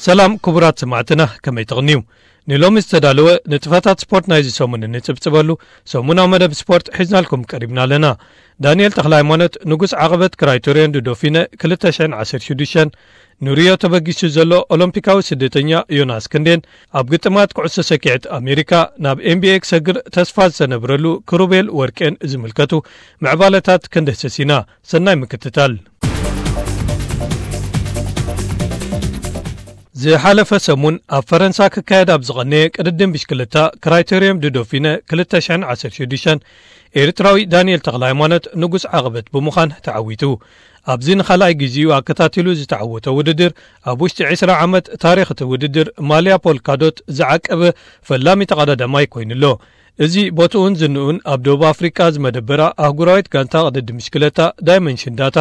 ሰላም ክቡራት ሰማዕትና፣ ከመይ ትቕንዩ? ንሎሚ ዝተዳለወ ንጥፈታት ስፖርት ናይዚ ሰሙን እንጽብጽበሉ ሰሙናዊ መደብ ስፖርት ሒዝናልኩም ቀሪብና ኣለና። ዳንኤል ተኽለ ሃይማኖት ንጉስ ዓቐበት ክራይቶርዮን ዶዶፊነ ክልተ ሽሕን ዓሰርተ ሽዱሽተን፣ ንሪዮ ተበጊሱ ዘሎ ኦሎምፒካዊ ስደተኛ ዮናስ ክንዴን ኣብ ግጥማት ኩዕሶ ሰኪዐት ኣሜሪካ ናብ ኤን ቢ ኤ ክሰግር ተስፋ ዝተነብረሉ ክሩቤል ወርቄን ዝምልከቱ ምዕባለታት ክንድህስስ ኢና። ሰናይ ምክትታል። ዝሓለፈ ሰሙን ኣብ ፈረንሳ ክካየድ ኣብ ዝቐነየ ቅድድም ብሽክለታ ክራይቴርዮም ዱዶፊነ ክልተ ሽሕን ዓሰርተ ሽዱሽተን፣ ኤርትራዊ ዳንኤል ተኽለ ሃይማኖት ንጉስ ዓቐበት ብምዃን ተዓዊቱ። ኣብዚ ንኻልኣይ ግዜኡ ኣከታቲሉ ዝተዓወተ ውድድር፣ ኣብ ውሽጢ ዕስራ ዓመት ታሪኽ እቲ ውድድር ማልያ ፖልካዶት ዝዓቀበ ፈላሚ ተቐዳዳማይ ኮይኑ ኣሎ። እዚ ቦትኡን ዝንኡን ኣብ ደቡብ ኣፍሪቃ ዝመደበራ ኣህጉራዊት ጋንታ ቅድድም ብሽክለታ ዳይመንሽን ዳታ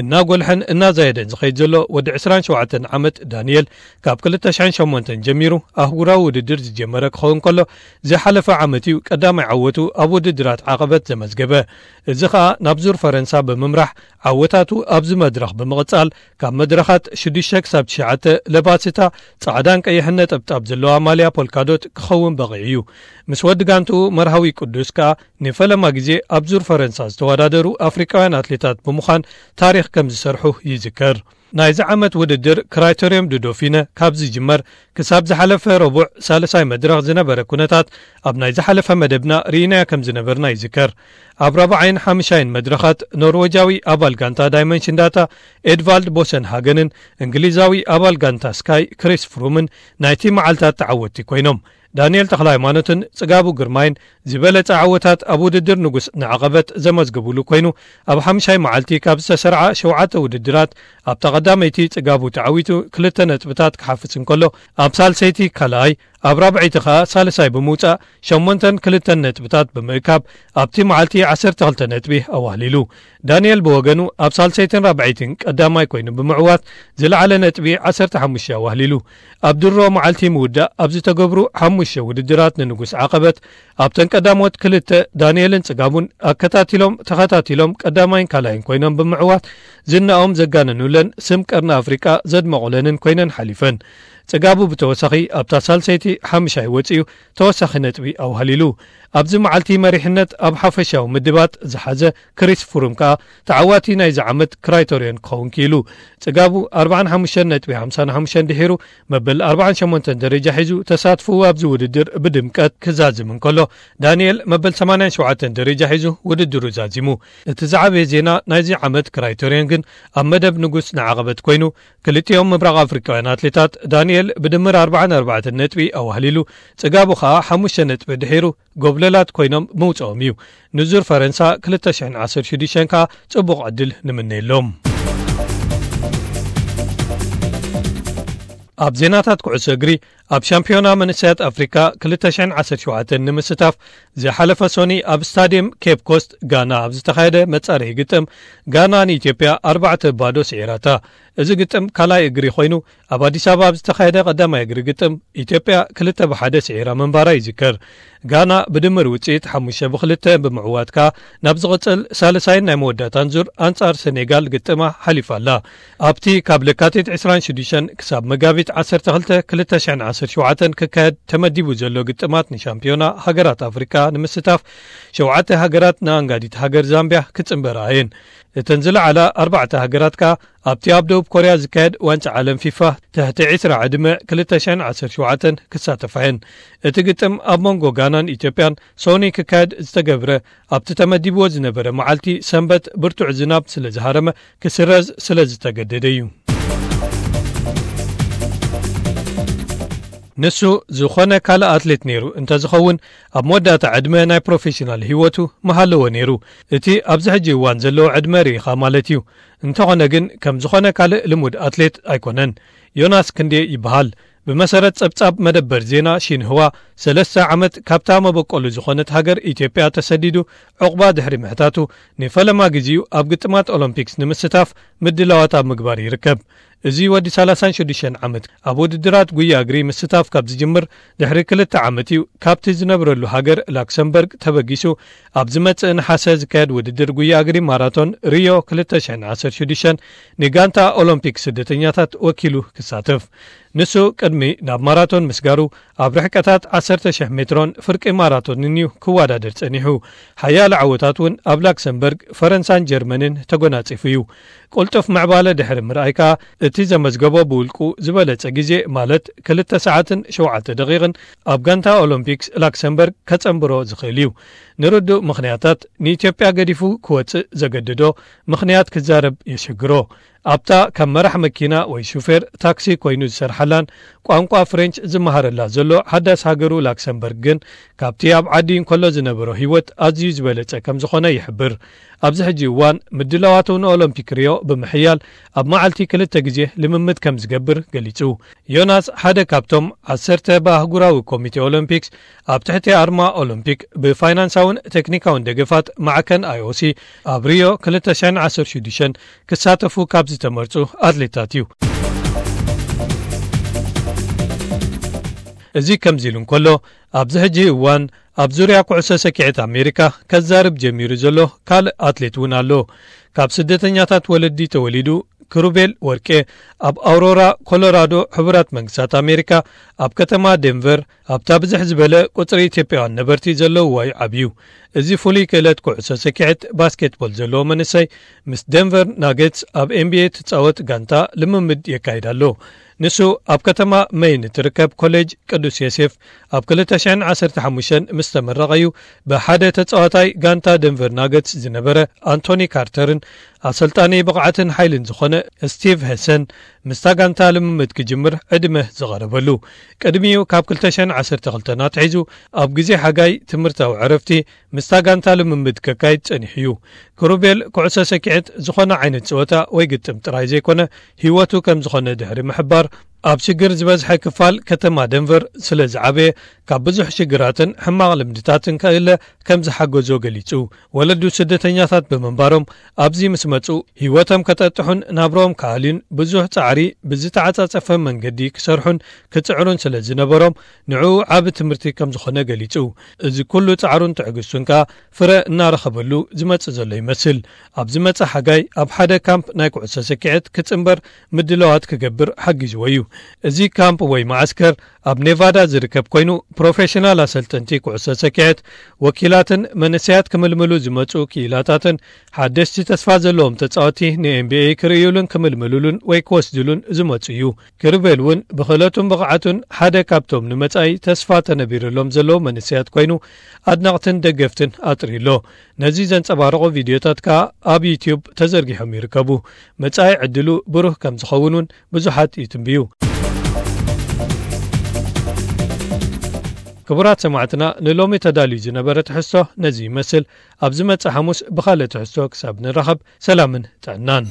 እናጎልሐን እናዛየደን ዝኸይድ ዘሎ ወዲ ዕስራን ሸውዓተን ዓመት ዳንኤል፣ ካብ ክልተ ሽሕን ሸሞንተን ጀሚሩ ኣህጉራዊ ውድድር ዝጀመረ ክኸውን ከሎ፣ ዝሓለፈ ዓመት እዩ ቀዳማይ ዓወቱ ኣብ ውድድራት ዓቐበት ዘመዝገበ። እዚ ኸኣ ናብ ዙር ፈረንሳ ብምምራሕ ዓወታቱ ኣብዚ መድረኽ ብምቕጻል፣ ካብ መድረኻት ሽዱሽተ ክሳብ ትሽዓተ ለባስታ ጻዕዳን ቀይሕን ነጠብጣብ ዘለዋ ማልያ ፖልካዶት ክኸውን በቒዑ እዩ። ምስ ወዲ ጋንትኡ መርሃዊ ቅዱስ ከኣ ንፈለማ ግዜ ኣብ ዙር ፈረንሳ ዝተወዳደሩ ኣፍሪቃውያን ኣትሌታት ብምዃን ታሪኽ ከም ዝሰርሑ ይዝከር። ናይዚ ዓመት ውድድር ክራይቴርዮም ዱዶፊነ ካብ ዝጅመር ክሳብ ዝሓለፈ ረቡዕ ሳልሳይ መድረኽ ዝነበረ ኩነታት ኣብ ናይ ዝሓለፈ መደብና ርኢናዮ ከም ዝነበርና ይዝከር። ኣብ ራብዓይን ሓምሻይን መድረኻት ኖርወጃዊ ኣባል ጋንታ ዳይመንሽን ዳታ ኤድቫልድ ቦሰን ሃገንን እንግሊዛዊ ኣባል ጋንታ ስካይ ክሪስ ፍሩምን ናይቲ መዓልታት ተዓወትቲ ኮይኖም። ዳንኤል ተኽለ ሃይማኖትን ጽጋቡ ግርማይን ዝበለጸ ዓወታት ኣብ ውድድር ንጉስ ንዓቐበት ዘመዝግቡሉ ኮይኑ፣ ኣብ ሓምሻይ መዓልቲ ካብ ዝተሰርዓ ሸውዓተ ውድድራት ኣብታ ቀዳመይቲ ጽጋቡ ተዓዊቱ ክልተ ነጥብታት ክሓፍስ እንከሎ፣ ኣብ ሳልሰይቲ ካልኣይ፣ ኣብ ራብዐይቲ ኸኣ ሳልሳይ ብምውጻእ ሸሞንተን ክልተን ነጥብታት ብምእካብ ኣብቲ መዓልቲ ዓሰርተ ክልተ ነጥቢ ኣዋህሊሉ። ዳንኤል ብወገኑ ኣብ ሳልሰይትን ራብዐይትን ቀዳማይ ኮይኑ ብምዕዋት ዝለዓለ ነጥቢ ዓሰርተ ሓሙሽተ ኣዋህሊሉ። ኣብ ድሮ መዓልቲ ምውዳእ ኣብ ዝተገብሩ ሓሙሽተ ውድድራት ንንጉስ ዓቐበት ኣብተን ቀዳሞት ክልተ ዳንኤልን ጽጋቡን ኣከታቲሎም ተኸታቲሎም ቀዳማይን ካልኣይን ኮይኖም ብምዕዋት ዝናኦም ዘጋነኑለን ስም ቀርኒ ኣፍሪቃ ዘድመቑለንን ኮይነን ሓሊፈን። ጽጋቡ ብተወሳኺ ኣብታ ሳልሰይቲ ሓምሻይ ወጺኡ ተወሳኺ ነጥቢ ኣዋህሊሉ። ኣብዚ መዓልቲ መሪሕነት ኣብ ሓፈሻዊ ምድባት ዝሓዘ ክሪስ ፍሩም ከኣ ተዓዋቲ ናይዚ ዓመት ክራይቶርዮን ክኸውን ክኢሉ። ጽጋቡ ኣርባዓን ሓሙሽተን ነጥቢ ሓምሳን ሓሙሽተን ድሒሩ መበል ኣርባዓን ሸሞንተን ደረጃ ሒዙ ተሳትፎኡ ኣብዚ ውድድር ብድምቀት ክዛዝም እንከሎ፣ ዳንኤል መበል ሰማንያን ሸውዓተን ደረጃ ሒዙ ውድድሩ ዛዚሙ። እቲ ዝዓበየ ዜና ናይዚ ዓመት ክራይቶርዮን ግን ኣብ መደብ ንጉስ ንዓቐበት ኮይኑ፣ ክልቲኦም ምብራቕ ኣፍሪቃውያን ኣትሌታት ዳንኤል ብድምር ኣርባዓን ኣርባዕተን ነጥቢ ኣዋህሊሉ፣ ጽጋቡ ኸኣ ሓሙሽተ ነጥቢ ድሒሩ ጎብለላት ኮይኖም ምውጽኦም እዩ። ንዙር ፈረንሳ ክልተ ሽሕን ዓሰርተ ሽዱሽተን ከኣ ጽቡቕ ዕድል ንምነየሎም። ኣብ ዜናታት ኩዕሶ እግሪ፣ ኣብ ሻምፒዮና መንእሰያት ኣፍሪካ ክልተ ሽሕን ዓሰርተ ሸውዓተን ንምስታፍ ዝሓለፈ ሶኒ ኣብ ስታድየም ኬፕ ኮስት ጋና ኣብ ዝተኻየደ መጻረዪ ግጥም፣ ጋና ንኢትዮጵያ ኣርባዕተ ባዶ ስዒራታ። እዚ ግጥም ካልኣይ እግሪ ኮይኑ፣ ኣብ ኣዲስ ኣበባ ኣብ ዝተኻየደ ቀዳማይ እግሪ ግጥም ኢትዮጵያ ክልተ ብሓደ ስዒራ ምንባራ ይዝከር። ጋና ብድምር ውጽኢት ሓሙሽተ ብክልተ ብምዕዋት ከኣ ናብ ዝቕጽል ሳልሳይን ናይ መወዳእታን ዙር ኣንጻር ሰኔጋል ግጥማ ሓሊፋ ኣላ። ኣብቲ ካብ ለካቲት ዕስራን ሽዱሽተን ክሳብ መጋቢት ዓሰርተ ክልተ ክልተ ሽሕን ዓሰርተ ሸውዓተን ክካየድ ተመዲቡ ዘሎ ግጥማት ንሻምፒዮና ሃገራት ኣፍሪካ ንምስታፍ ሸውዓተ ሃገራት ንኣንጋዲት ሃገር ዛምቢያ ክጽንበራ እየን። እተን ዝለዓላ ኣርባዕተ ሃገራት ከኣ ኣብቲ ኣብ ደቡብ ኮርያ ዝካየድ ዋንጫ ዓለም ፊፋ ትሕቲ ዕስራ ዕድመ ክልተ ሽሕን ዓሰርተ ሸውዓተን ክሳተፋ እየን። እቲ ግጥም ኣብ መንጎ ጋናን ኢትዮጵያን ሶኒ ክካየድ ዝተገብረ ኣብቲ ተመዲብዎ ዝነበረ መዓልቲ ሰንበት ብርቱዕ ዝናብ ስለ ዝሃረመ ክስረዝ ስለ ዝተገደደ እዩ። ንሱ ዝኾነ ካልእ ኣትሌት ነይሩ እንተዝኸውን፣ ኣብ መወዳእታ ዕድመ ናይ ፕሮፌሽናል ህይወቱ ምሃለወ ነይሩ። እቲ ኣብዚ ሕጂ እዋን ዘለዎ ዕድመ ርኢኻ ማለት እዩ። እንተኾነ ግን ከም ዝኾነ ካልእ ልሙድ ኣትሌት ኣይኮነን። ዮናስ ክንዴ ይበሃል። ብመሰረት ጸብጻብ መደበር ዜና ሺንህዋ፣ ሰለስተ ዓመት ካብታ መበቆሉ ዝኾነት ሃገር ኢትዮጵያ ተሰዲዱ ዑቕባ ድሕሪ ምሕታቱ፣ ንፈለማ ግዜኡ ኣብ ግጥማት ኦሎምፒክስ ንምስታፍ ምድላዋት ኣብ ምግባር ይርከብ። እዚ ወዲ ሰላሳን ሽዱሽተን ዓመት ኣብ ውድድራት ጉያ እግሪ ምስታፍ ካብ ዝጅምር ድሕሪ ክልተ ዓመት እዩ ካብቲ ዝነብረሉ ሃገር ላክሰምበርግ ተበጊሱ። ኣብ ዝመጽእ ነሓሰ ዝካየድ ውድድር ጉያ እግሪ ማራቶን ሪዮ ክልተ ሽሕን ዓሰርተ ሽዱሽተን ንጋንታ ኦሎምፒክ ስደተኛታት ወኪሉ ክሳተፍ። ንሱ ቅድሚ ናብ ማራቶን ምስጋሩ ኣብ ርሕቀታት ዓሰርተ ሽሕ ሜትሮን ፍርቂ ማራቶንን እዩ ክወዳደር ጸኒሑ። ሓያለ ዓወታት እውን ኣብ ላክሰምበርግ፣ ፈረንሳን ጀርመንን ተጎናጺፉ እዩ። ቅልጡፍ ምዕባለ ድሕሪ ምርኣይ ከኣ እቲ ዘመዝገቦ ብውልቁ ዝበለጸ ግዜ ማለት ክልተ ሰዓትን ሸውዓተ ደቂቕን ኣብ ጋንታ ኦሎምፒክስ ላክሰምበርግ ከጸንብሮ ዝኽእል እዩ። ንርዱእ ምኽንያታት ንኢትዮጵያ ገዲፉ ክወጽእ ዘገደዶ ምኽንያት ክዛረብ የሸግሮ። ኣብታ ካብ መራሕ መኪና ወይ ሹፌር ታክሲ ኮይኑ ዝሰርሓላን ቋንቋ ፍሬንች ዝመሃረላ ዘሎ ሓዳስ ሃገሩ ላክሰምበርግ ግን ካብቲ ኣብ ዓዲ እንከሎ ዝነበሮ ህይወት ኣዝዩ ዝበለጸ ከም ዝኾነ ይሕብር። ኣብዚ ሕጂ እዋን ምድላዋቱ ንኦሎምፒክ ሪዮ ብምሕያል ኣብ መዓልቲ ክልተ ግዜ ልምምድ ከም ዝገብር ገሊጹ። ዮናስ ሓደ ካብቶም ዓሰርተ ብኣህጉራዊ ኮሚቴ ኦሎምፒክስ ኣብ ትሕቲ ኣርማ ኦሎምፒክ ብፋይናንሳውን ቴክኒካውን ደገፋት ማዕከን ኣይኦሲ ኣብ ሪዮ ክልተ ሽሕን ዓሰርተ ሽዱሽተን ክሳተፉ ካብ ዝተመርጹ ኣትሌታት እዩ። እዚ ከምዚ ኢሉ እንከሎ፣ ኣብዚ ሕጂ እዋን ኣብ ዙርያ ኩዕሶ ሰኪዐት ኣሜሪካ ከዛርብ ጀሚሩ ዘሎ ካልእ ኣትሌት እውን ኣሎ። ካብ ስደተኛታት ወለዲ ተወሊዱ ክሩቤል ወርቄ ኣብ ኣውሮራ ኮሎራዶ ሕቡራት መንግስታት ኣሜሪካ ኣብ ከተማ ዴንቨር ኣብታ ብዝሕ ዝበለ ቁጽሪ ኢትዮጵያውያን ነበርቲ ዘለውዋ እዩ ዓብዩ። እዚ ፍሉይ ክእለት ኩዕሶ ሰኪዐት ባስኬትቦል ዘለዎ መንእሰይ ምስ ደንቨር ናገትስ ኣብ ኤንቢኤ ትጻወት ጋንታ ልምምድ የካይድ ኣሎ። ንሱ ኣብ ከተማ መይን እትርከብ ኮሌጅ ቅዱስ ዮሴፍ ኣብ ክልተ ሽሕን ዓሰርተ ሓሙሽተን ምስ ተመረቐ እዩ ብሓደ ተጻዋታይ ጋንታ ደንቨር ናገትስ ዝነበረ ኣንቶኒ ካርተርን ኣሰልጣኒ ብቕዓትን ሓይልን ዝኾነ ስቲቭ ሄሰን ምስታ ጋንታ ልምምድ ክጅምር ዕድመ ዝቐረበሉ። ቅድሚኡ ካብ ክልተ ሽሕን ዓሰርተ ክልተን ኣትሒዙ ኣብ ግዜ ሓጋይ ትምህርታዊ ዕረፍቲ ምስታ ጋንታ ልምምድ ከካይድ ጸኒሑ እዩ። ክሩቤል ኩዕሶ ሰኪዐት ዝኾነ ዓይነት ጸወታ ወይ ግጥም ጥራይ ዘይኮነ ህይወቱ ከም ዝኾነ ድሕሪ ምሕባር፣ ኣብ ሽግር ዝበዝሐ ክፋል ከተማ ደንቨር ስለ ዝዓበየ ካብ ብዙሕ ሽግራትን ሕማቕ ልምድታትን ከእለ ከም ዝሓገዞ ገሊጹ። ወለዱ ስደተኛታት ብምንባሮም ኣብዚ ምስ መጹ ህይወቶም ከጠጥሑን ናብሮኦም ክኣልዩን ብዙሕ ጻዕሪ ብዝተዓጻጸፈ መንገዲ ክሰርሑን ክጽዕሩን ስለ ዝነበሮም ንዕኡ ዓቢ ትምህርቲ ከም ዝኾነ ገሊጹ። እዚ ኩሉ ጻዕሩን ትዕግስቱን ከኣ ፍረ እናረኸበሉ ዝመጽእ ዘሎ ይመስል። ኣብ ዝመጽእ ሓጋይ ኣብ ሓደ ካምፕ ናይ ኩዕሶ ሰኪዐት ክጽንበር ምድላዋት ክገብር ሓጊዝዎ እዩ። እዚ ካምፕ ወይ መዓስከር ኣብ ኔቫዳ ዝርከብ ኮይኑ ፕሮፌሽናል ኣሰልጠንቲ ኩዕሶ ሰኪዐት፣ ወኪላትን መንእሰያት ክምልምሉ ዝመጹ ክኢላታትን ሓደሽቲ ተስፋ ዘለዎም ተጻወቲ ንኤንቢኤ ክርእዩሉን ክምልምሉሉን ወይ ክወስድሉን ዝመጹ እዩ። ክሩቤል እውን ብኽእለቱን ብቕዓቱን ሓደ ካብቶም ንመጻኢ ተስፋ ተነቢርሎም ዘለዉ መንእሰያት ኮይኑ ኣድነቕትን ደገፍትን ኣጥርዩ ኣሎ። ነዚ ዘንጸባርቑ ቪድዮታት ከኣ ኣብ ዩትዩብ ተዘርጊሖም ይርከቡ። መጻኢ ዕድሉ ብሩህ ከም ዝኸውን እውን ብዙሓት ይትንብዩ። ክቡራት ሰማዕትና፣ ንሎሚ ተዳልዩ ዝነበረ ትሕዝቶ ነዚ ይመስል። ኣብ ዝመጽእ ሓሙስ ብኻልእ ትሕዝቶ ክሳብ ንራኸብ፣ ሰላምን ጥዕናን።